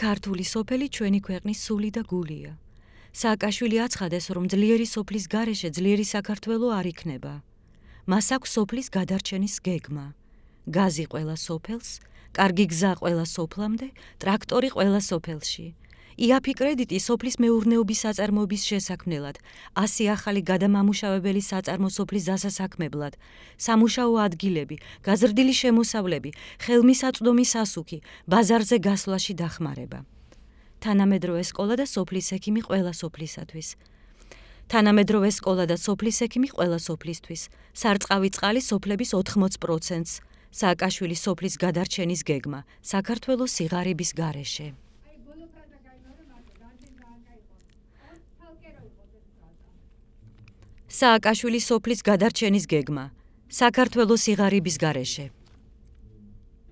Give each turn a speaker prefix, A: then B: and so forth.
A: ქართული სოფელი ჩვენი ქვეყნის სული და გულია. სააკაშვილი აცხადეს, რომ ძლიერი სოფლის გარეშე ძლიერი საქართველო არ იქნება. მას აქვს სოფლის გადარჩენის გეგმა. გაზი ყველა სოფელს, კარგი გზა ყველა სოფლამდე, ტრაქტორი ყველა სოფელში. იაფი კრედიტი სოფლის მეურნეობის საწარმოების შესაქმნელად, 100 ახალი გადამამუშავებელი საწარმო სოფლის დასასაქმებლად, სამუშაო ადგილები, გაზრდილი შემოსავლები, ხელმისაწვდომი სასუქი, ბაზარზე გასვლაში დახმარება. თანამედროვე სკოლა და სოფლის ექიმი ყველა სოფლისათვის. თანამედროვე სკოლა და სოფლის ექიმი ყველა სოფლისთვის. სარწყავი წყალი სოფლების 80%-ს. სააკაშვილი სოფლის გადარჩენის გეგმა. საქართველოს სიღარიბის გარეშე. სააკაშვილი სოფლის გადარჩენის გეგმა. საქართველოს სიღარიბის გარეშე.